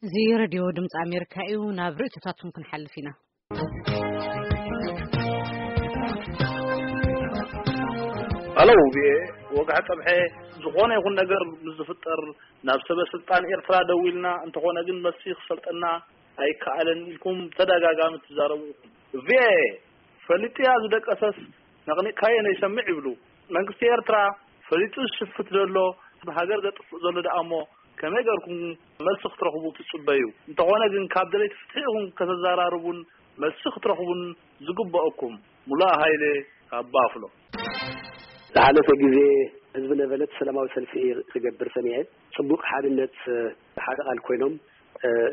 እዚ ሬድዮ ድምፂ ኣሜሪካ እዩ። ናብ ርእይቶታትኩም ክንሓልፍ ኢና። ሃሎ፣ ብኤ ወግሐ ጸብሐ፣ ዝኾነ ይኹን ነገር ምስ ዝፍጠር ናብ ሰበ ስልጣን ኤርትራ ደዊልና፣ እንተኾነ ግን መልሲ ክሰልጠና ኣይከኣለን ኢልኩም ተደጋጋሚ ትዛረቡ። ቪኤ ፈሊጥያ ዝደቀሰስ ነቕኒቕካዮ ነይሰምዕ ይብሉ። መንግስቲ ኤርትራ ፈሊጡ ዝሽፍት ዘሎ፣ ሃገር ዘጥፍእ ዘሎ ደኣ እሞ ከመይ ገርኩም መልሲ ክትረኽቡ ትጽበዩ? እንተኾነ ግን ካብ ደለይቲ ፍትሒ ኢኹም ከተዘራርቡን መልሲ ክትረኽቡን ዝግበኣኩም። ሙሉኣ ሃይለ ካብ ባፍሎ። ዝሓለፈ ግዜ ህዝቢ ነበለት ሰላማዊ ሰልፊ ክገብር ሰሚዐ። ጽቡቕ ሓድነት፣ ሓደ ቃል ኮይኖም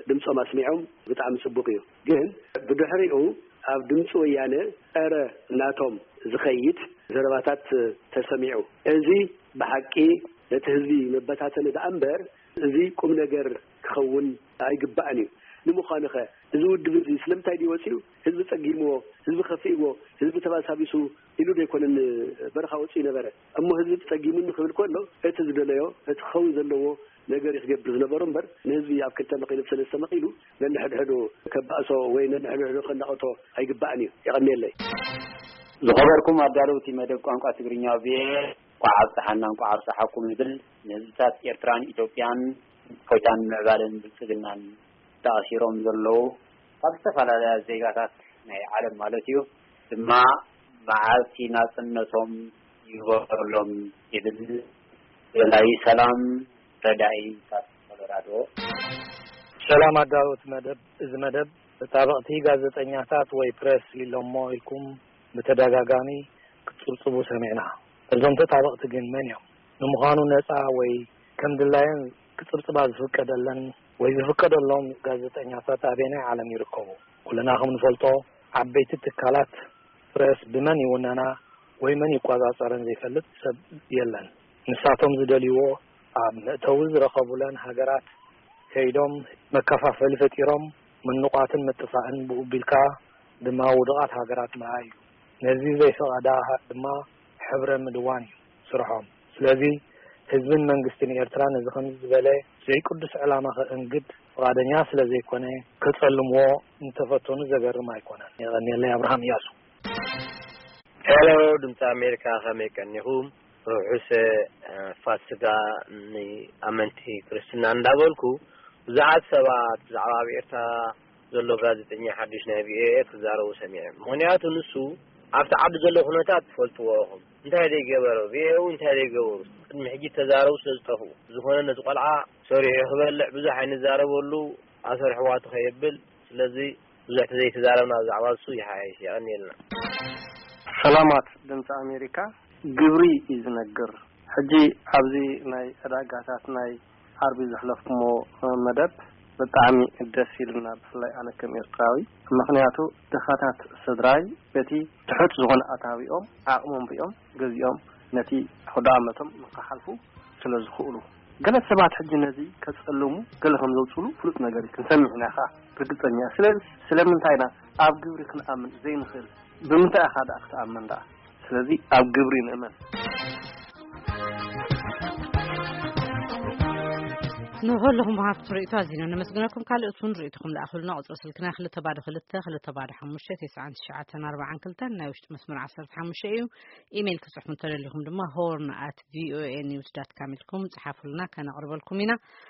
ድምጾም ኣስሚዖም፣ ብጣዕሚ ጽቡቕ እዩ። ግን ብድሕሪኡ ኣብ ድምጺ ወያነ ጸረ ናቶም ዝኸይድ ዘረባታት ተሰሚዑ። እዚ ብሓቂ ነቲ ህዝቢ መበታተኒ ደኣ እምበር፣ እዚ ቁም ነገር ክኸውን ኣይግባእን እዩ። ንምዃኑኸ እዚ ውድብ እዚ ስለምንታይ ድዩ ወጺኡ? ህዝቢ ጸጊምዎ፣ ህዝቢ ከፊእዎ፣ ህዝቢ ተባሳቢሱ ኢሉ ዶ ኣይኮነን በረኻ ወጺኡ ነበረ? እሞ ህዝቢ ጸጊሙኒ ክብል ከሎ፣ እቲ ዝደለዮ፣ እቲ ክኸውን ዘለዎ ነገር እዩ ክገብር ዝነበሮ እምበር፣ ንህዝቢ ኣብ ክልተ መቒሉ፣ ሰለስተ መቒሉ ነንሕድሕዱ ከባእሶ ወይ ነንሕድሕዱ ከናቕቶ ኣይግባእን እዩ። የቐንየለይ። ዝኸበርኩም ኣዳለውቲ መደብ ቋንቋ ትግርኛ ቪኦኤ፣ እንቋዕ ኣብጽሓና እንቋዕ ኣብጽሓኩም ይብል። ንህዝብታት ኤርትራን ኢትዮጵያን እፎይታን ምዕባለን ብልጽግናን ተኣሲሮም ዘለዉ ካብ ዝተፈላለያ ዜጋታት ናይ ዓለም ማለት እዩ ድማ መዓልቲ ናጽነቶም ይግበረሎም ይብል። ደላይ ሰላም ረዳኢ ካብ ኮሎራዶ። ሰላም ኣዳለውቲ መደብ። እዚ መደብ ተጣበቕቲ ጋዜጠኛታት ወይ ፕሬስ ኢሎሞ ኢልኩም ብተደጋጋሚ ክትጽብጽቡ ሰሚዕና። እዞም ተጣበቕቲ ግን መን እዮም? ንምዃኑ ነጻ ወይ ከም ድላየን ክጽብጽባ ዝፍቀደለን ወይ ዝፍቀደሎም ጋዜጠኛታት ኣበየናይ ዓለም ይርከቡ? ኩልና ከም ንፈልጦ ዓበይቲ ትካላት ፕሬስ ብመን ይውነና ወይ መን ይቆጻጸረን ዘይፈልጥ ሰብ የለን። ንሳቶም ዝደልይዎ ኣብ መእተዊ ዝረኸቡለን ሃገራት ከይዶም መከፋፈሊ ፈጢሮም ምንቋትን ምጥፋእን ብኡ ቢልካ ድማ ውዱቓት ሃገራት ምርኣይ እዩ። ነዚ ዘይፈቐዳ ድማ ሕብረ ምድዋን እዩ ስርሖም። ስለዚ ህዝብን መንግስትን ኤርትራ ነዚ ከምዚ ዝበለ ዘይቅዱስ ዕላማ ከእንግድ ፍቓደኛ ስለ ዘይኮነ ከጸልምዎ እንተፈተኑ ዘገርም ኣይኮነን። የቐንየለይ። ኣብርሃም እያሱ። ሄሎ ድምፂ ኣሜሪካ፣ ከመይ ቀኒኹም? ርሑስ ፋስጋ ንኣመንቲ ክርስትና እንዳበልኩ፣ ብዙሓት ሰባት ብዛዕባ ኣብ ኤርትራ ዘሎ ጋዜጠኛ ሓድሽ ናይ ቪኦኤ ክዛረቡ ሰሚዐ። ምኽንያቱ ንሱ ኣብቲ ዓዲ ዘሎ ኩነታት ትፈልጥዎ ኢኹም። እንታይ ዘይገበረ ቪኦኤ፣ እንታይ ዘይገበሩ ቅድሚ ሕጂ ተዛረቡ ስለ ዝጠፍኡ። ዝኾነ ነቲ ቆልዓ ሰሪሑ ክበልዕ ብዙሕ ኣይንዛረበሉ፣ ኣሰርሕዋ ትኸየብል። ስለዚ ብዙሕ ተዘይተዛረብና ብዛዕባ እሱ ይሓይሽ። የቐንየልና። ሰላማት ድምፂ ኣሜሪካ። ግብሪ እዩ ዝነግር። ሕጂ ኣብዚ ናይ ዕዳጋታት ናይ ዓርቢ ዘሕለፍኩሞ መደብ ብጣዕሚ ደስ ኢልና፣ ብፍላይ ኣነ ከም ኤርትራዊ። ምኽንያቱ ድኻታት ስድራይ በቲ ትሑት ዝኾነ ኣታዊኦም ዓቕሞም ሪኦም ገዚኦም ነቲ ኣውደኣመቶም ንክሓልፉ ስለ ዝኽእሉ። ገለ ሰባት ሕጂ ነዚ ከጸልሙ ገለ ከም ዘውጽሉ ፍሉጥ ነገር እዩ፣ ክንሰምዕ ኢና ኸኣ ርግጸኛ። ስለዚ ስለምንታይ ኢና ኣብ ግብሪ ክንኣምን ዘይንኽእል? ብምንታይ ኢኻ ደኣ ክትኣምን ደኣ? ስለዚ ኣብ ግብሪ ንእመን። ንኹልኹም ወሃብቲ ርእይቶ ኣዚና ነመስግነኩም። ካልኦት እውን ርእይቶኹም ልኣኹልና። ቁጽሪ ስልክና ክልተ ባዶ ክልተ፣ ክልተ ባዶ ሓሙሽተ፣ ተስዓን ትሽዓተን ኣርባዓን ክልተን፣ ናይ ውሽጢ መስመር ዓሰርተ ሓሙሽተ እዩ። ኢሜይል ክጽሕፉ እንተደሊኹም ድማ ሆርን ኣት ቪኦኤ ኒውስ ዳት ካም ኢልኩም ጽሓፉልና፣ ከነቕርበልኩም ኢና።